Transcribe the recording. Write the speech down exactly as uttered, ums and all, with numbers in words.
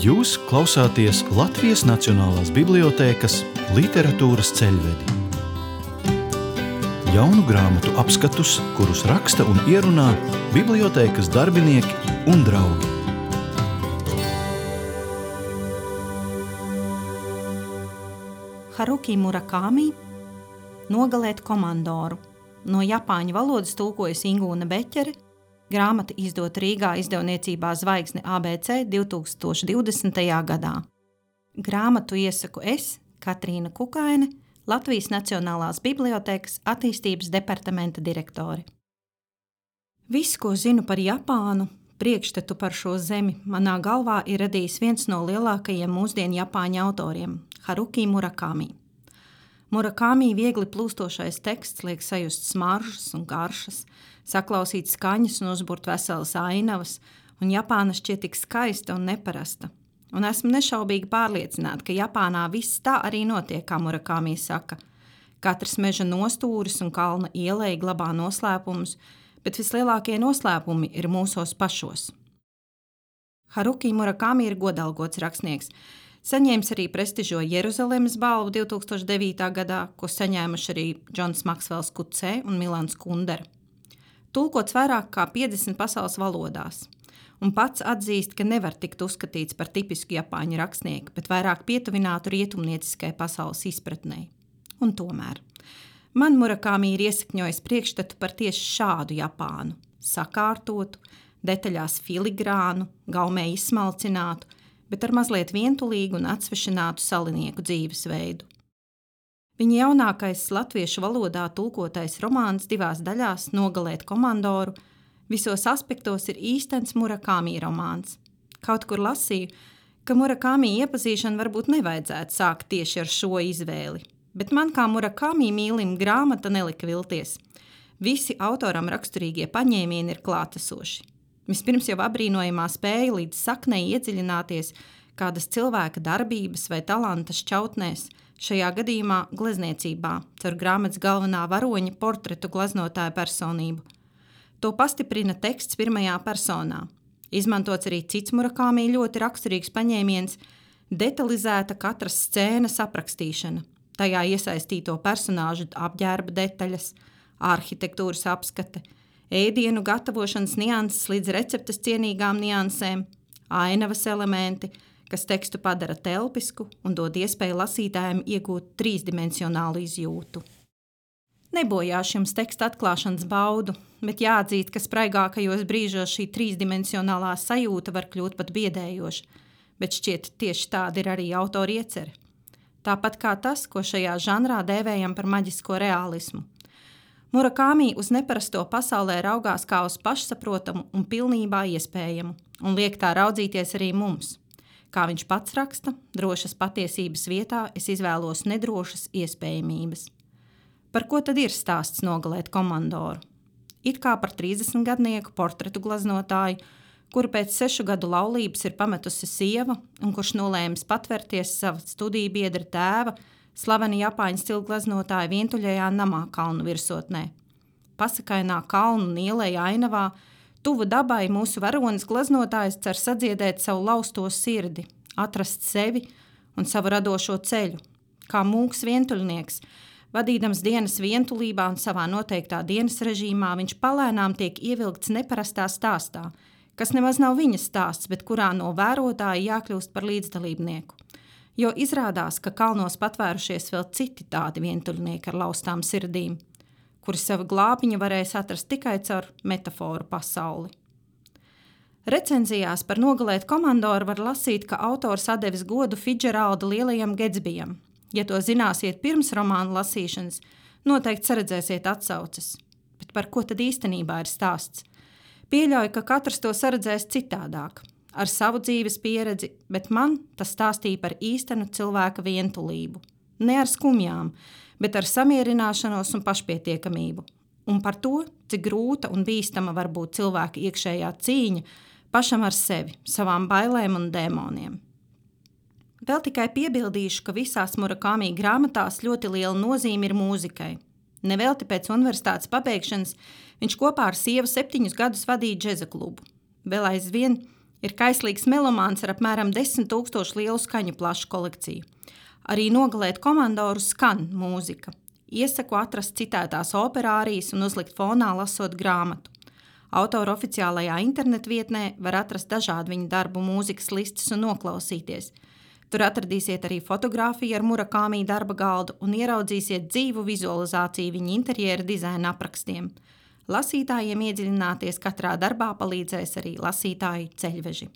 Jūs klausāties Latvijas Nacionālās bibliotēkas literatūras ceļvedi. Jaunu grāmatu apskatus, kurus raksta un ierunā bibliotēkas darbinieki un draugi. Haruki Murakami Nogalēt komandoru. No japāņu valodas tulkojas Ingūna Beķere. Grāmata izdota Rīgā izdevniecībā Zvaigzne A B C divtūkstoš divdesmitajā gadā. Grāmatu iesaku es, Katrīna Kukaine, Latvijas Nacionālās bibliotēkas attīstības departamenta direktore. Viss, ko zinu par Japānu, priekšstatu par šo zemi, manā galvā ir radījis viens no lielākajiem mūsdienu japāņu autoriem – Haruki Murakami. Murakami viegli plūstošais teksts liek sajust smaržas un garšas, saklausīt skaņas un uzburt veselas ainavas, un Japāna šķiet tik skaista un neparasta. Un esmu nešaubīgi pārliecināta, ka Japānā viss tā arī notiek, kā Murakami saka. Katrs meža nostūris un kalna ieleja glabā noslēpumus, bet vislielākie noslēpumi ir mūsos pašos. Haruki Murakami ir godalgots rakstnieks. Saņēmis arī prestižo Jeruzalemes balvu divtūkstoš devītā gadā, ko saņēmuši arī Džons Maksvels Kucē un Milans Kundera. Tulkots vairāk kā piecdesmit pasaules valodās, un pats atzīst, ka nevar tikt uzskatīts par tipisku japāņu rakstnieku, bet vairāk pietuvinātu rietumnieciskai pasaules izpratnei. Un tomēr man Murakami ir iesakņojis priekšstatu par tieši šādu Japānu, sakārtotu, detaļās filigrānu, gaumē izsmalcinātu, bet ar mazliet vientulīgu un atsvešinātu salinieku dzīvesveidu. Viņa jaunākais latviešu valodā tulkotais romāns divās daļās Nogalēt komandoru visos aspektos ir īstens Murakami romāns. Kaut kur lasīju, ka Murakami iepazīšanu varbūt nevajadzētu sākt tieši ar šo izvēli, bet man kā Murakami mīlim grāmata nelika vilties. Visi autoram raksturīgie paņēmieni ir klātesoši. Vispirms jau abrīnojamā spēja līdz saknei iedziļināties kādas cilvēka darbības vai talanta šķautnēs, šajā gadījumā glezniecībā, caur grāmatas galvenā varoņa portretu gleznotāja personību. To pastiprina teksts pirmajā personā. Izmantots arī cits Murakami ļoti raksturīgs paņēmiens – detalizēta katras scēnas aprakstīšana, tajā iesaistīto personāžu apģērba detaļas, arhitektūras apskate, ēdienu gatavošanas nianses līdz receptes cienīgām niansēm, ainavas elementi, kas tekstu padara telpisku un dod iespēju lasītājiem iegūt trīsdimensionālu izjūtu. Nebojāšu jums teksta atklāšanas baudu, bet jāatzīst, ka spraigākajos brīžos šī trīsdimensionālā sajūta var kļūt pat biedējoša, bet šķiet tieši tāda ir arī autora iecerē. Tāpat kā tas, ko šajā žanrā dēvējam par maģisko reālismu. Murakami uz neparasto pasaulē raugās kā uz pašsaprotamu un pilnībā iespējamu, un liek tā raudzīties arī mums. Kā viņš pats raksta, drošas patiesības vietā es izvēlos nedrošas iespējamības. Par ko tad ir stāsts Nogalēt komandoru? It kā par trīsdesmitgadnieku portretu gleznotāju, kuru pēc sešu gadu laulības ir pametusi sieva un kurš nolēmis patverties sava studiju biedra tēva, slaveni japāņu stilu gleznotāja vientuļajā namā kalnu virsotnē. Pasakainā kalnu un ieleja ainavā, tuvu dabai mūsu varonis gleznotājs cer sadziedēt savu lausto sirdi, atrast sevi un savu radošo ceļu. Kā mūks vientuļnieks, vadīdams dienas vientulībā un savā noteiktā dienas režīmā, viņš palēnām tiek ievilkts neparastā stāstā, kas nemaz nav viņa stāsts, bet kurā no vērotāja jākļūst par līdzdalībnieku. Jo izrādās, ka kalnos patvērušies vēl citi tādi vientuļnieki ar laustām sirdīm, kuri savu glābiņu varēs atrast tikai caur metaforu pasauli. Recenzijās par Nogalēt komandoru var lasīt, ka autors atdevis godu Fidžeralda lielajam Getsbijam. Ja to zināsiet pirms romāna lasīšanas, noteikti saredzēsiet atsauces. Bet par ko tad īstenībā ir stāsts? Pieļauju, ka katrs to saredzēs citādāk. Ar savu dzīves pieredzi, bet man tas stāstīja par īstenu cilvēka vientulību. Ne ar skumjām, bet ar samierināšanos un pašpietiekamību. Un par to, cik grūta un bīstama var būt cilvēka iekšējā cīņa pašam ar sevi, savām bailēm un dēmoniem. Vēl tikai piebildīšu, ka visās Murakami grāmatās ļoti liela nozīme ir mūzikai. Nevelti pēc universitātes pabeigšanas viņš kopā ar sievu septiņus gadus vadīja džeza klubu. Vēl aizvien Ir kaislīgs melomāns ar apmēram desmit tūkstošu lielu skaņu plašu kolekciju. Arī Nogalēt komandoru skan mūzika. Iesaku atrast citētās operārijas un uzlikt fonā lasot grāmatu. Autora oficiālajā internetvietnē var atrast dažādu viņa darbu mūzikas listas un noklausīties. Tur atradīsiet arī fotogrāfiju ar Murakāmī darba galdu un ieraudzīsiet dzīvu vizualizāciju viņa interjera dizaina aprakstiem. Lasītājiem iedziļināties katrā darbā palīdzēs arī lasītāju ceļveži.